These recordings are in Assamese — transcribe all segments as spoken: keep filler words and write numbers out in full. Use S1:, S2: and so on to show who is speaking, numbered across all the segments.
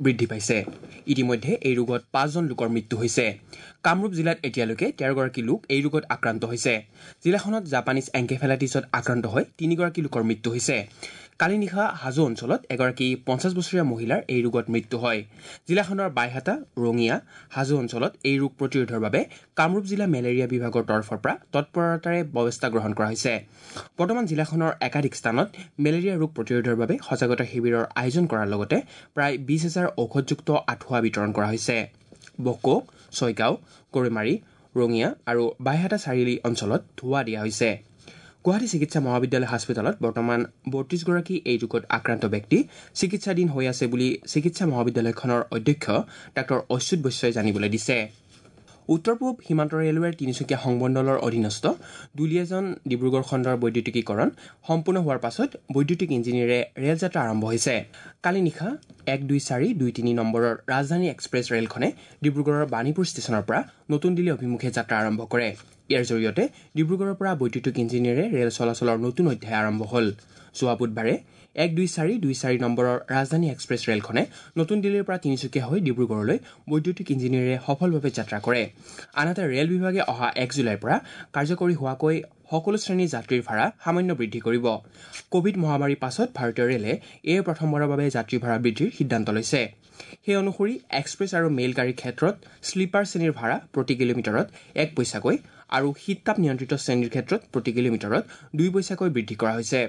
S1: বৃদ্ধি পাইছে। ইতিমধ্যে এই ৰোগত পাঁচজন লোকৰ মৃত্যু হৈছে। কামৰূপ জিলাত এতিয়ালৈকে তেৰগৰাকী লোক এই ৰোগত আক্ৰান্ত হৈছে। জিলাখনত জাপানীজ এনকেফেলাইটিছত আক্ৰান্ত হৈ তিনিগৰাকী লোকৰ মৃত্যু হৈছে। কালি নিশা হাজো অঞ্চলত এগৰাকী পঞ্চাছ বছৰীয়া মহিলাৰ এই ৰোগত মৃত্যু হয়। জিলাখনৰ বাইহাটা, ৰঙিয়া, হাজো অঞ্চলত এই ৰোগ প্ৰতিৰোধৰ বাবে কামৰূপ জিলা মেলেৰিয়া বিভাগৰ তৰফৰ পৰা তৎপৰতাৰে ব্যৱস্থা গ্ৰহণ কৰা হৈছে। বৰ্তমান জিলাখনৰ একাধিক স্থানত মেলেৰিয়া ৰোগ প্ৰতিৰোধৰ বাবে সজাগতা শিবিৰৰ আয়োজন কৰাৰ লগতে প্ৰায় বিছ হাজাৰ ঔষধযুক্ত আঁঠুৱা বিতৰণ কৰা হৈছে। বকো, ছয়গাঁও, গৰৈমাৰী, ৰঙিয়া আৰু বাইহাটা চাৰিআলি অঞ্চলত ধোঁৱা দিয়া হৈছে। গুৱাহাটী চিকিৎসা মহাবিদ্যালয় হাস্পতালত বৰ্তমান বত্ৰিছগৰাকী এই ৰোগত আক্ৰান্ত ব্যক্তি চিকিৎসাধীন হৈ আছে বুলি চিকিৎসা মহাবিদ্যালয়খনৰ অধ্যক্ষ ডাঃ অচ্যুত বৈশ্যই জানিবলৈ দিছে। উত্তৰ পূব সীমান্ত ৰেলৱেৰ তিনিচুকীয়া সংমণ্ডলৰ অধীনস্থ দুলীয়াজান ডিব্ৰুগড় খণ্ডৰ বৈদ্যুতিকীকৰণ সম্পূৰ্ণ হোৱাৰ পাছত বৈদ্যুতিক ইঞ্জিনেৰে ৰেল যাত্ৰা আৰম্ভ হৈছে। কালি নিশা এক দুই চাৰি দুই তিনি নম্বৰৰ ৰাজধানী এক্সপ্ৰেছ ৰেলখনে ডিব্ৰুগড়ৰ বাণীপুৰ ষ্টেচনৰ পৰা নতুন দিল্লী অভিমুখে যাত্ৰা আৰম্ভ কৰে। ইয়াৰ জৰিয়তে ডিব্ৰুগড়ৰ পৰা বৈদ্যুতিক ইঞ্জিনেৰে ৰেল চলাচলৰ নতুন অধ্যায় আৰম্ভ হ'ল। যোৱা বুধবাৰে এক দুই চাৰি দুই চাৰি নম্বৰৰ ৰাজধানী এক্সপ্ৰেছ ৰেলখনে নতুন দিল্লীৰ পৰা তিনিচুকীয়া হৈ ডিব্ৰুগড়লৈ বৈদ্যুতিক ইঞ্জিনেৰে সফলভাৱে যাত্ৰা কৰে। আনহাতে ৰেল বিভাগে অহা এক জুলাইৰ পৰা কাৰ্যকৰী হোৱাকৈ সকলো শ্ৰেণীৰ যাত্ৰীৰ ভাড়া সামান্য বৃদ্ধি কৰিব। কোভিড মহামাৰীৰ পাছত ভাৰতীয় ৰেলে এই প্ৰথমবাৰৰ বাবে যাত্ৰী ভাড়া বৃদ্ধিৰ সিদ্ধান্ত লৈছে। সেই অনুসৰি এক্সপ্ৰেছ আৰু মেইল গাড়ীৰ ক্ষেত্ৰত শ্লীপাৰ শ্ৰেণীৰ ভাড়া প্ৰতি কিলোমিটাৰত এক পইচাকৈ আৰু শীত তাপ নিয়ন্ত্ৰিত শ্ৰেণীৰ ক্ষেত্ৰত প্ৰতি কিলোমিটাৰত দুই পইচাকৈ বৃদ্ধি কৰা হৈছে।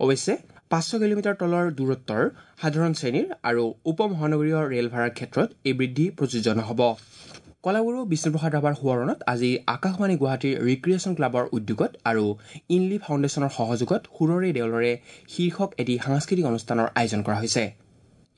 S1: অৱশ্যে পাঁচশ কিলোমিটাৰ তলৰ দূৰত্বৰ সাধাৰণ শ্ৰেণীৰ আৰু উপ মহানগৰীয় ৰেল ভাড়াৰ ক্ষেত্ৰত এই বৃদ্ধি প্ৰযোজ্য নহ'ব। কলাগুৰু বিষ্ণুপ্ৰসাদ ৰাভাৰ সোঁৱৰণত আজি আকাশবাণী গুৱাহাটীৰ ৰিক্ৰিয়েশ্যন ক্লাবৰ উদ্যোগত আৰু ইনলি ফাউণ্ডেশ্যনৰ সহযোগত সুৰৰে দেউলৰে শীৰ্ষক এটি সাংস্কৃতিক অনুষ্ঠানৰ আয়োজন কৰা হৈছে।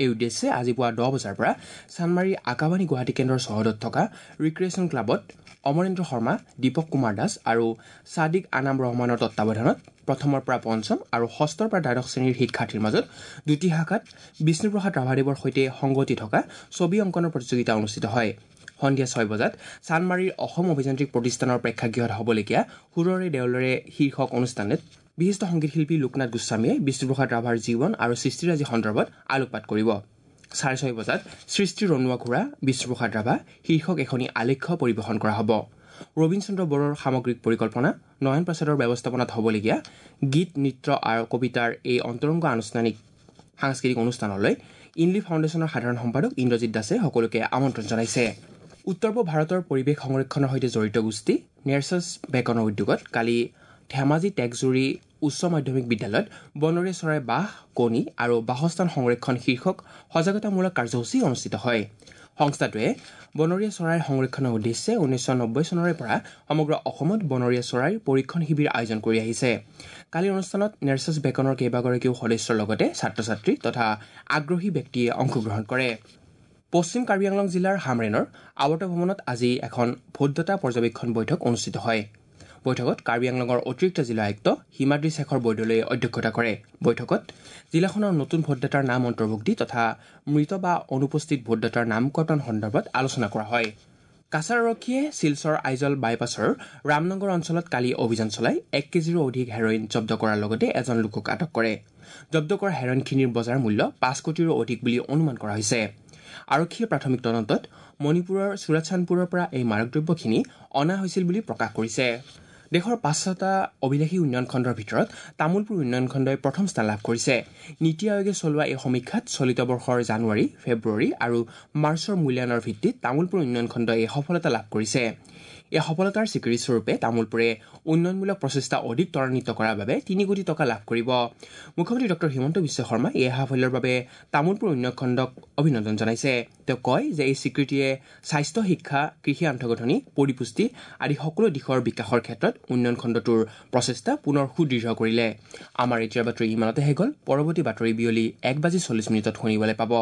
S1: এই উদ্দেশ্যে আজি পুৱা দহ বজাৰ পৰা চানমাৰী আকাশবাণী গুৱাহাটী কেন্দ্ৰৰ চৌহদত থকা ৰিক্ৰিয়েশ্যন ক্লাবত অমৰেন্দ্ৰ শৰ্মা, দীপক কুমাৰ দাস আৰু ছাদিক আনাম ৰহমানৰ তত্বাৱধানত প্ৰথমৰ পৰা পঞ্চম আৰু ষষ্ঠৰ পৰা দ্বাদশ শ্ৰেণীৰ শিক্ষাৰ্থীৰ মাজত দুটি শাখাত বিষ্ণুপ্ৰসাদ ৰাভাদেৱৰ সৈতে সংগতি থকা ছবি অংকনৰ প্ৰতিযোগিতা অনুষ্ঠিত হয়। সন্ধিয়া ছয় বজাত চানমাৰীৰ অসম অভিযান্ত্ৰিক প্ৰতিষ্ঠানৰ প্ৰেক্ষাগৃহত হ'বলগীয়া সুৰৰে দেউলৰে শীৰ্ষক অনুষ্ঠানত বিশিষ্ট সংগীত শিল্পী লোকনাথ গোস্বামীয়ে বিষ্ণুপ্ৰসাদ ৰাভাৰ জীৱন আৰু সৃষ্টিৰাজি সন্দৰ্ভত আলোকপাত কৰিব। চাৰে ছয় বজাত সৃষ্টি ৰণুৱা ঘোঁৰা বিষ্ণুপ্ৰসাদ ৰাভা শীৰ্ষক এখনি আলেখ্য পৰিৱেশন কৰা হ'ব। ৰবীন চন্দ্ৰ বড়োৰ সামগ্ৰিক পৰিকল্পনা, নয়ন প্ৰসাদৰ ব্যৱস্থাপনাত হ'বলগীয়া গীত, নৃত্য আৰু কবিতাৰ এই অন্তৰংগ আনুষ্ঠানিক সাংস্কৃতিক অনুষ্ঠানলৈ ইনলি ফাউণ্ডেশ্যনৰ সাধাৰণ সম্পাদক ইন্দ্ৰজিৎ দাসে সকলোকে আমন্ত্ৰণ জনাইছে। উত্তৰ পূব ভাৰতৰ পৰিৱেশ সংৰক্ষণৰ সৈতে জড়িত গোষ্ঠী নেৰচাছ বেকনৰ উদ্যোগত কালি ধেমাজি টেকজুৰি উচ্চ মাধ্যমিক বিদ্যালয়ত বনৰীয়া চৰাই বাহ, কণী আৰু বাসস্থান সংৰক্ষণ শীৰ্ষক সজাগতামূলক কাৰ্যসূচী অনুষ্ঠিত হয়। সংস্থাটোৱে বনৰীয়া চৰাইৰ সংৰক্ষণৰ উদ্দেশ্যে ঊনৈছশ নব্বৈ চনৰে পৰা সমগ্ৰ অসমত বনৰীয়া চৰাইৰ পৰীক্ষণ শিবিৰ আয়োজন কৰি আহিছে। কালিৰ অনুষ্ঠানত নেৰচাছ বেকনৰ কেইবাগৰাকীও সদস্যৰ লগতে ছাত্ৰ ছাত্ৰী তথা আগ্ৰহী ব্যক্তিয়ে অংশগ্ৰহণ কৰে। পশ্চিম কাৰ্বি আংলং জিলাৰ হামৰেনৰ আৱৰ্ত ভৱনত আজি এখন ভোটদাতা পৰ্যবেক্ষণ বৈঠক অনুষ্ঠিত হয়। বৈঠকত কাৰ্বি আংলঙৰ অতিৰিক্ত জিলা আয়ুক্ত হিমাদ্ৰী শেখৰ বৰদলৈয়ে অধ্যক্ষতা কৰে। বৈঠকত জিলাখনৰ নতুন ভোটদাতাৰ নাম অন্তৰ্ভুক্তি তথা মৃত বা অনুপস্থিত ভোটদাতাৰ নাম কৰ্তন সন্দৰ্ভত আলোচনা কৰা হয়। কাছাৰ আৰক্ষীয়ে শিলচৰ আইজল বাইপাছৰ ৰামনগৰ অঞ্চলত কালি অভিযান চলাই এক কেজিৰো অধিক হেৰইন জব্দ কৰাৰ লগতে এজন লোকক আটক কৰে। জব্দ কৰা হেৰইনখিনিৰ বজাৰ মূল্য পাঁচ কোটিৰো অধিক বুলি অনুমান কৰা হৈছে। আৰক্ষীয়ে প্ৰাথমিক তদন্তত মণিপুৰৰ চুৰাচান্দপুৰৰ পৰা এই মাদকদ্ৰব্যখিনি অনা হৈছিল বুলি প্ৰকাশ কৰিছে। দেশৰ পাঁচটা অভিলাষী উন্নয়ন খণ্ডৰ ভিতৰত তামোলপুৰ উন্নয়ন খণ্ডই প্ৰথম স্থান লাভ কৰিছে। নীতি আয়োগে চলোৱা এই সমীক্ষাত চলিত বৰ্ষৰ জানুৱাৰী, ফেব্ৰুৱাৰী আৰু মাৰ্চৰ মূল্যায়নৰ ভিত্তিত তামোলপুৰ উন্নয়ন খণ্ডই এই সফলতা লাভ কৰিছে। এই সফলতাৰ স্বীকৃতিস্বৰূপে তামোলপুৰে উন্নয়নমূলক প্ৰচেষ্টা অধিক ত্বৰান্বিত কৰাৰ বাবে তিনি কোটি টকা লাভ কৰিব। মুখ্যমন্ত্ৰী ডক্টৰ হিমন্ত বিশ্ব শৰ্মাই এই সাফল্যৰ বাবে তামোলপুৰ উন্নয়ন খণ্ডক অভিনন্দন জনাইছে। তেওঁ কয় যে এই স্বীকৃতিয়ে স্বাস্থ্য, শিক্ষা, কৃষি আন্তঃগাঁথনি, পৰিপুষ্টি আদি সকলো দিশৰ বিকাশৰ ক্ষেত্ৰত উন্নয়ন খণ্ডটোৰ প্ৰচেষ্টা পুনৰ সুদৃঢ় কৰিলে। আমাৰ এতিয়াৰ বাতৰি ইমানতে শেষ হ'ল। পৰৱৰ্তী বাতৰি বিয়লি এক বাজি চল্লিছ মিনিটত শুনিবলৈ পাব।